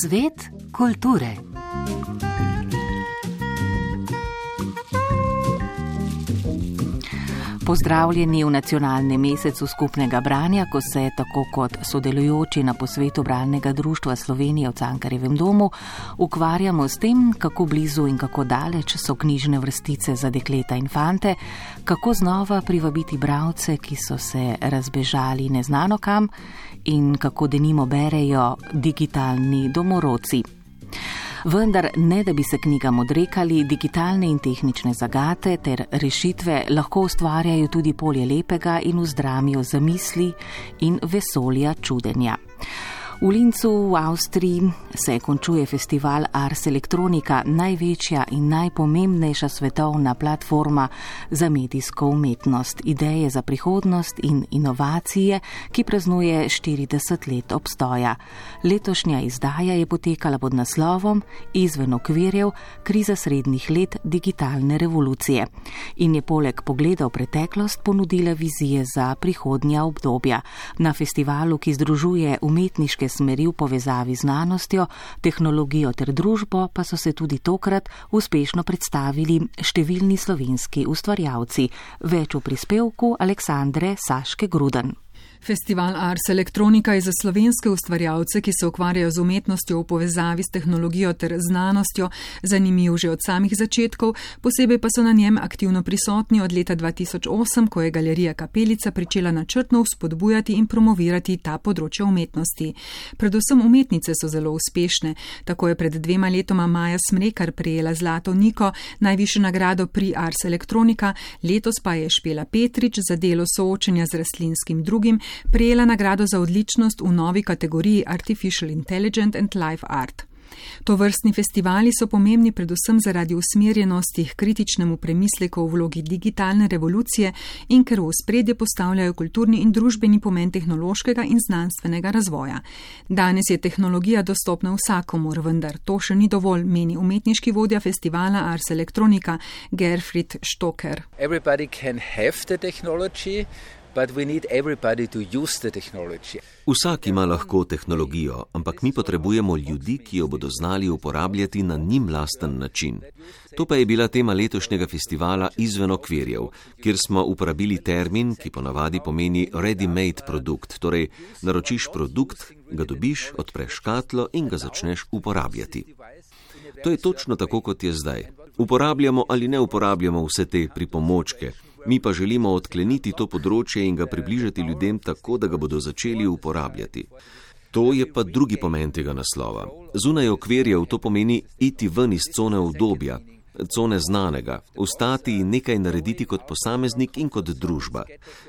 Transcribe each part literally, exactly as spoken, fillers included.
Svet kulture. Pozdravljeni v nacionalnem mesecu skupnega branja, ko se tako kot sodelujoči na posvetu Bralnega društva Slovenije v Cankarjevem domu ukvarjamo s tem, kako blizu in kako daleč so knjižne vrstice za dekleta in fante, kako znova privabiti bralce, ki so se razbežali neznano kam, in kako denimo berejo digitalni domorodci. Vendar ne, da bi se knjigam odrekali, digitalne in tehnične zagate ter rešitve lahko ustvarjajo tudi polje lepega in vzdramijo zamisli in vesolja čudenja. V Linzu v Avstriji se končuje festival Ars Electronica, največja in najpomembnejša svetovna platforma za medijsko umetnost, ideje za prihodnost in inovacije, ki praznuje štirideset let obstoja. Letošnja izdaja je potekala pod naslovom Izven okvirjev, kriza srednjih let digitalne revolucije in je poleg pogleda v preteklost ponudila vizije za prihodnja obdobja. Na festivalu, ki združuje umetniške smeri v povezavi z znanostjo, tehnologijo ter družbo, pa so se tudi tokrat uspešno predstavili številni slovenski ustvarjalci. Več v prispevku Aleksandre Saške Gruden. Festival Ars Electronica je za slovenske ustvarjalce, ki se ukvarjajo z umetnostjo v povezavi s tehnologijo ter znanostjo, zanimiv že od samih začetkov, posebej pa so na njem aktivno prisotni od leta dva tisoč osem, ko je Galerija Kapelica pričela načrtno vzpodbujati in promovirati ta področja umetnosti. Predvsem umetnice so zelo uspešne. Tako je pred dvema letoma Maja Smrekar prejela zlato Niko, najvišjo nagrado pri Ars Electronica, letos pa je Špela Petrič za delo soočenja z rastlinskim drugim prejela nagrado za odličnost v novi kategoriji Artificial Intelligence and Life Art. Tovrstni festivali so pomembni predvsem zaradi usmerjenosti k kritičnemu premisleku v vlogi digitalne revolucije in ker v ospredje postavljajo kulturni in družbeni pomen tehnološkega in znanstvenega razvoja. Danes je tehnologija dostopna vsakomur, vendar to še ni dovolj, meni umetniški vodja festivala Ars Electronica Gerfried Stocker. Everybody can have the technology. But we need everybody to use the technology. Vsak ima lahko tehnologijo, ampak mi potrebujemo ljudi, ki jo bodo znali uporabljati na njim lasten način. To pa je bila tema letošnjega festivala Izven okvirjev, kjer smo uporabili termin, ki ponavadi pomeni ready-made produkt, torej naročiš produkt, ga dobiš, odpreš škatlo in ga začneš uporabljati. To je točno tako, kot je zdaj. Uporabljamo ali ne uporabljamo vse te pripomočke, mi pa želimo odkleniti to področje in ga približati ljudem tako, da ga bodo začeli uporabljati. To je pa drugi pomen tega naslova. Zunaj okvirjev to pomeni iti ven iz cone udobja, cone znanega, ostati in nekaj narediti kot posameznik in kot družba.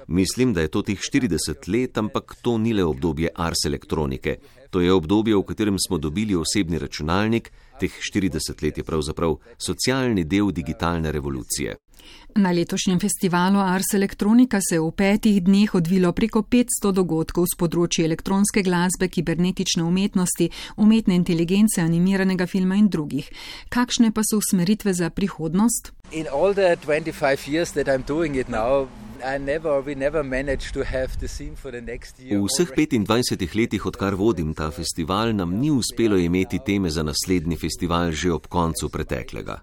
Mislim, da je to teh štirideset let, ampak to ni le obdobje Ars Elektronike. To je obdobje, v katerem smo dobili osebni računalnik, teh štirideset let je pravzaprav socialni del digitalne revolucije. Na letošnjem festivalu Ars Electronica se je v petih dneh odvilo preko petsto dogodkov s področji elektronske glasbe, kibernetične umetnosti, umetne inteligence, animiranega filma in drugih. Kakšne pa so usmeritve za prihodnost? In all the twenty-five years that I'm doing it now, I never, we never managed to have the theme for the next year. V vseh petindvajsetih letih, odkar vodim ta festival, nam ni uspelo imeti teme za naslednji festival že ob koncu preteklega.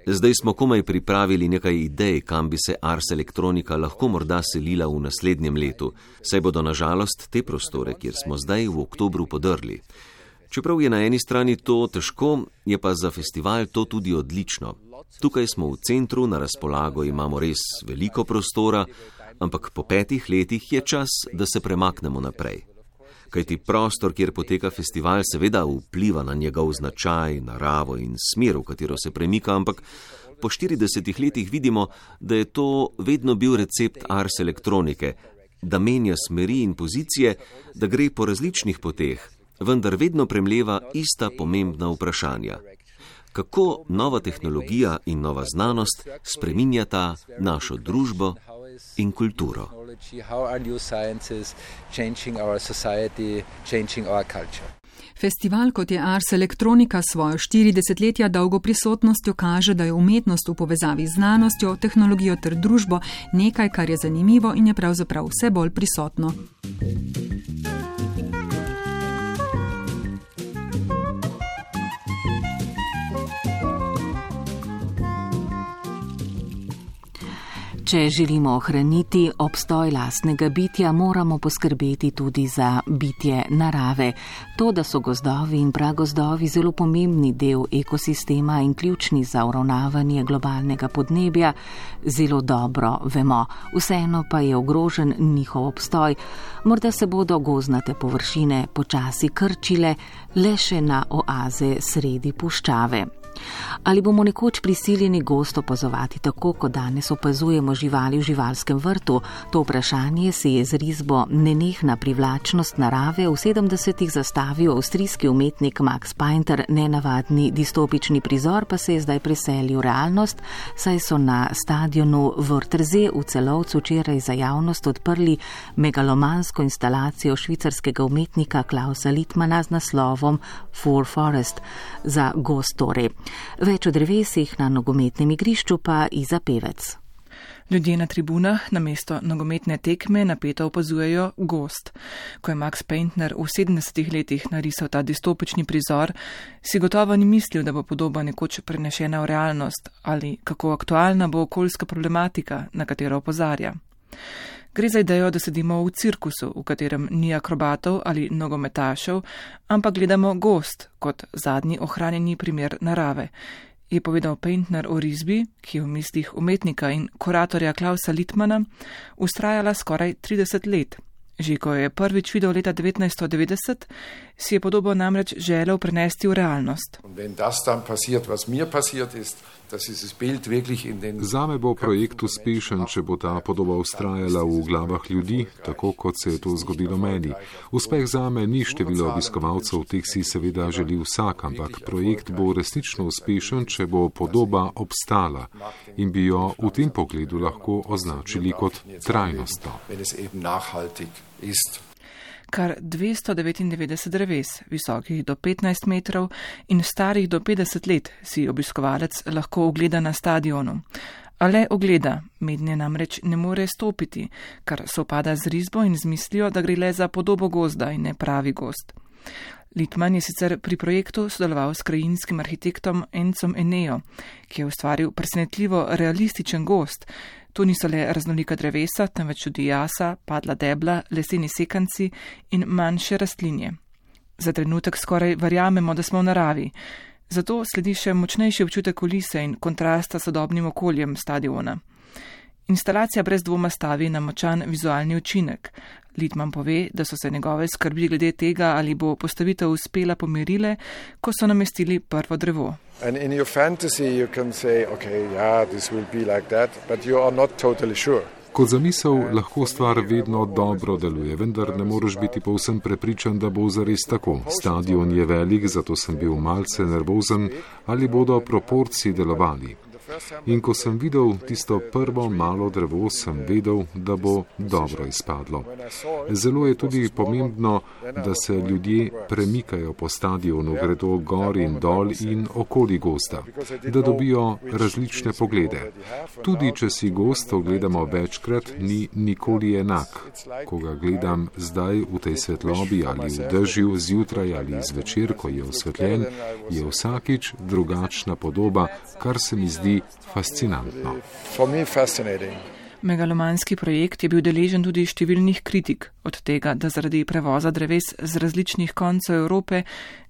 Zdaj smo komaj pripravili nekaj idej, kam bi se Ars Electronica lahko morda selila v naslednjem letu, saj bodo na žalost te prostore, kjer smo zdaj v oktobru podrli. Čeprav je na eni strani to težko, je pa za festival to tudi odlično. Tukaj smo v centru, na razpolago imamo res veliko prostora, ampak po petih letih je čas, da se premaknemo naprej. Kajti prostor, kjer poteka festival, seveda vpliva na njegov značaj, naravo in smer, v katero se premika, ampak po štiridesetih letih vidimo, da je to vedno bil recept Ars Elektronike, da menja smeri in pozicije, da gre po različnih poteh, vendar vedno premleva ista pomembna vprašanja. Kako nova tehnologija in nova znanost spreminjata našo družbo in kulturo. How are new sciences changing our society, changing our culture? Festival, kot je Ars Electronica, svojo štiridesetletja dolgo prisotnostjo kaže, da je umetnost v povezavi z znanostjo, tehnologijo ter družbo nekaj, kar je zanimivo in je pravzaprav vse bolj prisotno. Če želimo ohraniti obstoj lastnega bitja, moramo poskrbeti tudi za bitje narave. To, da so gozdovi in pragozdovi zelo pomembni del ekosistema in ključni za uravnavanje globalnega podnebja, zelo dobro vemo. Vseeno pa je ogrožen njihov obstoj. Morda se bodo gozdnate površine počasi krčile le še na oaze sredi puščave. Ali bomo nekoč prisiljeni gozd opazovati tako, kot danes opazujemo živali v živalskem vrtu? To vprašanje si je z risbo Nenehna privlačnost narave v sedemdesetih zastavil avstrijski umetnik Max Painter. Nenavadni distopični prizor pa se je zdaj preselil v realnost, saj so na stadionu Wörthersee v Celovcu včeraj za javnost odprli megalomansko instalacijo švicarskega umetnika Klausa Littmanna z naslovom For Forest, za gozd torej. Več o drevesih na nogometnem igrišču pa Iza Pevec. Ljudje na tribunah namesto nogometne tekme napeto opazujejo gozd. Ko je Max Painter v sedemdesetih letih narisal ta distopični prizor, si gotovo ni mislil, da bo podoba nekoč prenešena v realnost ali kako aktualna bo okoljska problematika, na katero opozarja. Gre za idejo, da sedimo v cirkusu, v katerem ni akrobatov ali nogometašev, ampak gledamo gozd kot zadnji ohranjeni primer narave, je povedal Painter o risbi, ki je v mislih umetnika in kuratorja Klausa Littmanna vztrajala skoraj trideset let. Že ko je prvič videl leta devetnajststo devetdeset, si je podobo namreč želel prenesti v realnost. Zame bo projekt uspešen, če bo ta podoba vztrajala v glavah ljudi, tako kot se je to zgodilo meni. Uspeh zame ni število obiskovalcev, teh si seveda želi vsak, ampak projekt bo resnično uspešen, če bo podoba obstala in bi jo v tem pogledu lahko označili kot trajnostno. Kar dvesto devetindevetdeset dreves, visokih do petnajst metrov in starih do petdeset let, si obiskovalec lahko ogleda na stadionu. A le ogleda, mednje namreč ne more stopiti, kar sopada z risbo in z mislijo, da gre le za podobo gozda in ne pravi gozd. Littmann je sicer pri projektu sodeloval s krajinskim arhitektom Encom Eneo, ki je ustvaril presenetljivo realističen gozd. To niso le raznolika drevesa, temveč tudi jasa, padla debla, leseni sekanci in manjše rastlinje. Za trenutek skoraj verjamemo, da smo v naravi. Zato sledi še močnejši občutek kulise in kontrasta s sodobnim okoljem stadiona. Instalacija brez dvoma stavi na močan vizualni učinek. Littmann pove, da so se njegove skrbi glede tega, ali bo postavitev uspela, pomirile, ko so namestili prvo drevo. Kot zamisel lahko stvar vedno dobro deluje, vendar ne moreš biti povsem prepričan, da bo zares tako. Stadion je velik, zato sem bil malce nervozen, ali bodo proporci delovali. In ko sem videl tisto prvo malo drevo, sem vedel, da bo dobro izpadlo. Zelo je tudi pomembno, da se ljudje premikajo po stadionu, gredo gor in dol in okoli gozda, da dobijo različne poglede. Tudi če si gozd ogledamo večkrat, ni nikoli enak. Ko ga gledam zdaj v tej svetlobi ali v dežju, zjutraj ali zvečer, ko je osvetljen, je vsakič drugačna podoba, kar se mi zdi fascinantno. Megalomanski projekt je bil deležen tudi številnih kritik, od tega, da zaradi prevoza dreves z različnih koncev Evrope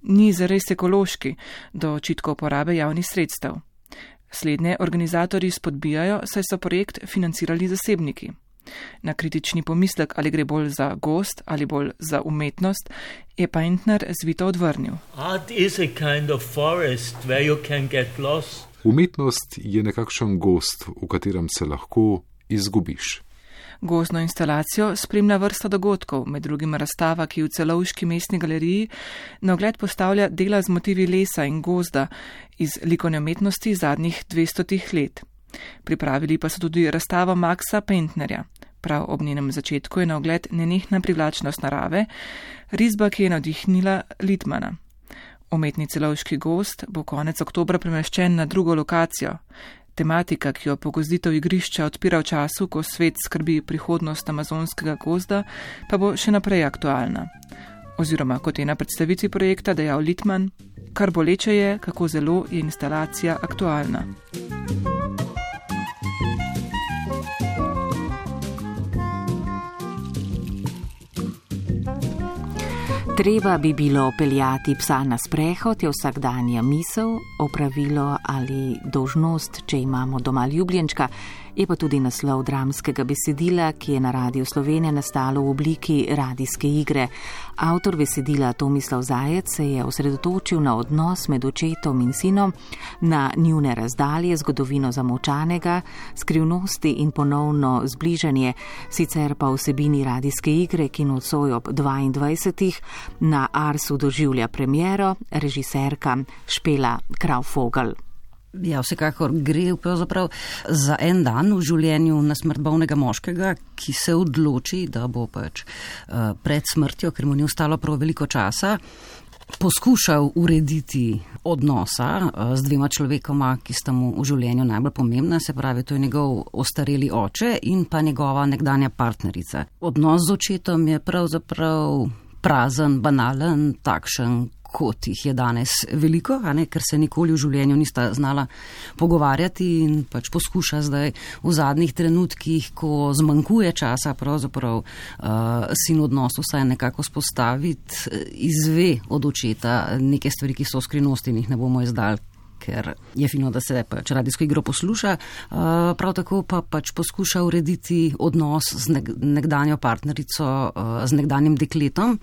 ni zares ekološki, do očitkov porabe javnih sredstev. Slednje organizatorji spodbijajo, saj so projekt financirali zasebniki. Na kritični pomislek, ali gre bolj za gozd ali bolj za umetnost, je Painter zvito odvrnil. Art is a kind of forest where you can get lost. Umetnost je nekakšen gozd, v katerem se lahko izgubiš. Gozdno instalacijo spremlja vrsta dogodkov, med drugim razstava, ki v Celovški mestni galeriji na ogled postavlja dela z motivi lesa in gozda iz likovne umetnosti zadnjih dvestotih let. Pripravili pa so tudi razstavo Maxa Painterja. Prav ob njenem začetku je na ogled nenehna privlačnost narave, risba, ki je navdihnila Littmanna. Umetni Celovški gozd bo konec oktobra premeščen na drugo lokacijo. Tematika, ki jo pogozditev igrišča odpira v času, ko svet skrbi prihodnost amazonskega gozda, pa bo še naprej aktualna. Oziroma, kot je na predstavitvi projekta dejal Littmann, kar boleče je, kako zelo je instalacija aktualna. Treba bi bilo peljati psa na sprehod, je vsakdanja misel, opravilo ali dolžnost, če imamo doma ljubljenčka, je pa tudi naslov dramskega besedila, ki je na Radiu Slovenija nastalo v obliki radijske igre. Avtor besedila Tomislav Zajec se je osredotočil na odnos med očetom in sinom, na njune razdalje, zgodovino zamolčanega, skrivnosti in ponovno zbližanje, sicer pa vsebini radijske igre, ki nocoj ob dvaindvajsetih na Arsu doživlja premiero režiserka Špela Kraufogel. Ja, vsekakor gre pravzaprav za en dan v življenju na smrt bolnega moškega, ki se odloči, da bo pač uh, pred smrtjo, ker mu ni ostalo prav veliko časa, poskušal urediti odnosa uh, z dvema človekoma, ki sta mu v življenju najbolj pomembna, se pravi, to je njegov ostareli oče in pa njegova nekdanja partnerica. Odnos z očetom je pravzaprav prazen, banalen, takšen, kot jih je danes veliko, a ne, ker se nikoli v življenju nista znala pogovarjati in pač poskuša zdaj v zadnjih trenutkih, ko zmanjkuje časa, pravzaprav uh, sin odnos vsaj nekako spostaviti, izve od očeta neke stvari, ki so v skrivnosti in jih ne bomo izdali, ker je fino, da se pač radijsko igro posluša, uh, prav tako pa pač poskuša urediti odnos z nekdanjo partnerico, uh, z nekdanjim dekletom,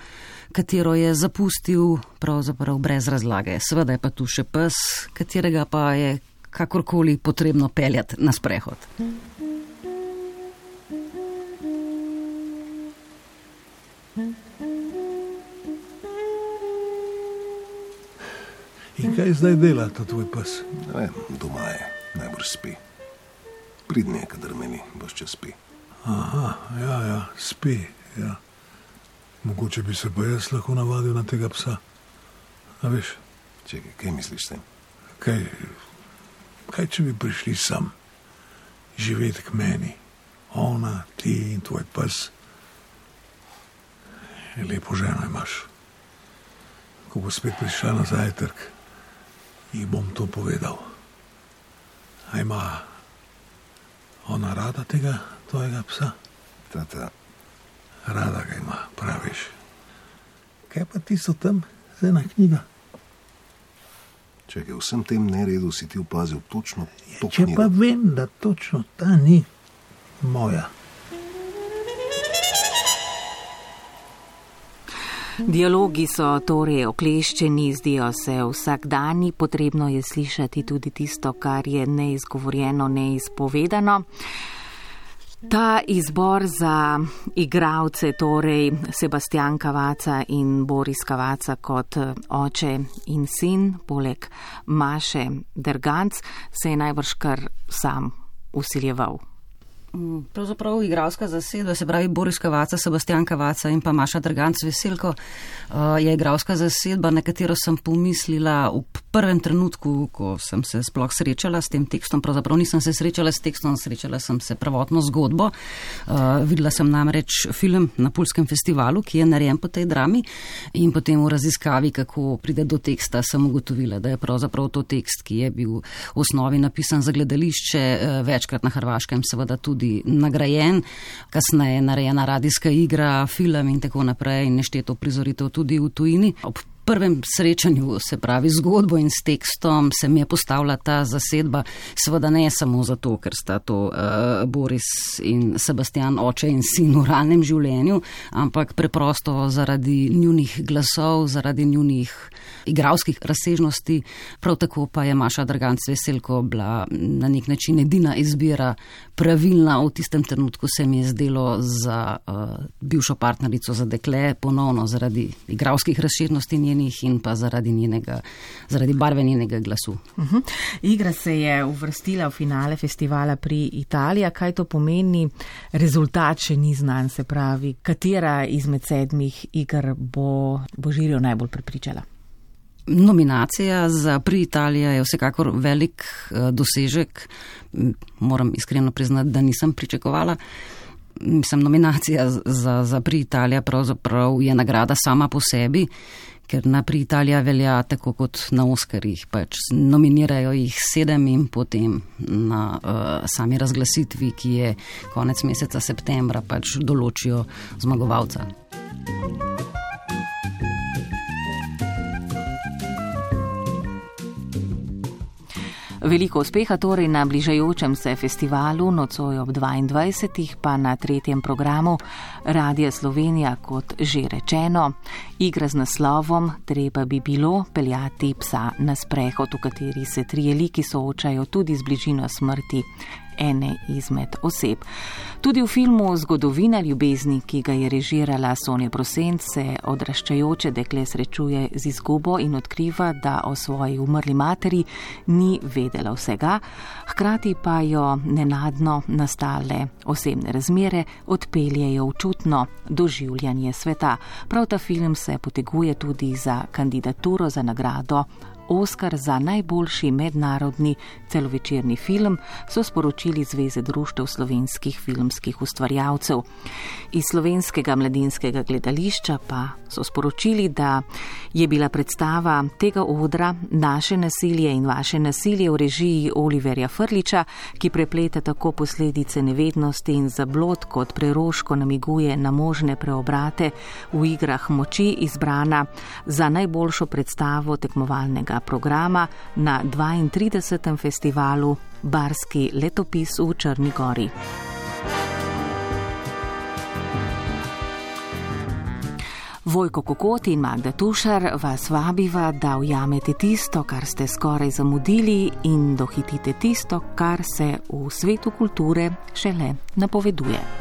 katero je zapustil pravzaprav brez razlage. Seveda je pa tu še pes, katerega pa je kakorkoli potrebno peljati na sprehod. In kaj zdaj dela ta tvoj pes? Ne vem, doma je, najbrž spi. Pridne, kadar meni, boš če spi. Aha, ja, ja, spi, ja. Mogoče bi se pa jaz lahko navadil na tega psa. A veš? Čekaj, kaj misliš s tem? Kaj, kaj če bi prišli sam, živeti k meni? Ona, ti in tvoj pes. Lepo ženo imaš. Ko bo spet prišla na zajtrk, ji bom to povedal. A ima ona rada tega tvojega psa? Tata. Rada ga ima, praviš. Kaj pa tisto tam, z ena knjiga? Čekaj, v vsem tem neredu si ti opazil točno to Če knjigo. Pa vem, da točno ta ni moja. Dialogi so torej okleščeni, zdijo se vsakdanji, potrebno je slišati tudi tisto, kar je neizgovorjeno, neizpovedano. Ta izbor za igralce, torej Sebastian Cavazza in Boris Cavazza kot oče in sin, poleg Maše Derganc, se je najbrž kar sam usiljeval. Pravzaprav igralska zasedba, se pravi Boris Cavazza, Sebastian Cavazza in pa Maša Derganc Veselko, je igralska zasedba, na katero sem pomislila v prvem trenutku, ko sem se sploh srečala s tem tekstom. Pravzaprav nisem se srečala s tekstom, srečala sem se prvotno zgodbo. Videla sem namreč film na Pulskem festivalu, ki je narejen po tej drami, in potem v raziskavi, kako pride do teksta, sem ugotovila, da je pravzaprav to tekst, ki je bil v osnovi napisan za gledališče, večkrat na Hrvaškem, seveda tudi nagrajen, kasneje narejena radijska igra, film in tako naprej in nešteto prizoritev tudi v tujini. Ob prvem srečanju, se pravi zgodbo in s tekstom, se mi je postavila ta zasedba, seveda ne samo zato, ker sta to uh, Boris in Sebastian, oče in sin v realnem življenju, ampak preprosto zaradi njunih glasov, zaradi njunih igralskih razsežnosti. Prav tako pa je Maša Derganc Veselko bila na nek način edina izbira pravilna. V tistem trenutku se mi je zdelo za uh, bivšo partnerico, za dekle, ponovno zaradi igralskih razsežnosti njenih omenjenih in pa zaradi, njenega, zaradi barve njenega glasu. Uh-huh. Igra se je uvrstila v finale festivala pri Italiji. Kaj to pomeni? Rezultat še ni znan, se pravi, katera izmed sedmih iger bo, bo žirijo najbolj prepričala? Nominacija za Pri Italija je vsekakor velik uh, dosežek. Moram iskreno priznati, da nisem pričakovala. Mislim, nominacija za, za Pri Italija pravzaprav je nagrada sama po sebi, ker na Pri Italija velja tako kot na Oskarjih. Pač nominirajo jih sedem in potem na uh, sami razglasitvi, ki je konec meseca septembra, pač določijo zmagovalca. Veliko uspeha torej na bližajočem se festivalu, nocoj ob dvaindvajsetih pa na tretjem programu Radia Slovenija, kot že rečeno. Igra z naslovom Treba bi bilo peljati psa na sprehod, v kateri se trije liki soočajo tudi z bližino smrti ene izmed oseb. Tudi v filmu Zgodovina ljubezni, ki ga je režirala Sonja Prosent, se odraščajoče dekle srečuje z izgubo in odkriva, da o svoji umrli materi ni vedela vsega, hkrati pa jo nenadno nastale osebne razmere odpeljejo v čutno doživljanje sveta. Prav ta film se poteguje tudi za kandidaturo za nagrado Oskar za najboljši mednarodni celovečerni film, so sporočili Zveze društev slovenskih filmskih ustvarjalcev. Iz Slovenskega mladinskega gledališča pa so sporočili, da je bila predstava tega odra Naše nasilje in vaše nasilje v režiji Oliverja Frliča, ki prepleta tako posledice nevednosti in zablod, kot preroško namiguje na možne preobrate v igrah moči, izbrana za najboljšo predstavo tekmovalnega programa na dvaintridesetem festivalu Barski letopis v Črni Gori. Vojko Kokot in Magda Tušar vas vabiva, da ujamete tisto, kar ste skoraj zamudili, in dohitite tisto, kar se v svetu kulture šele napoveduje.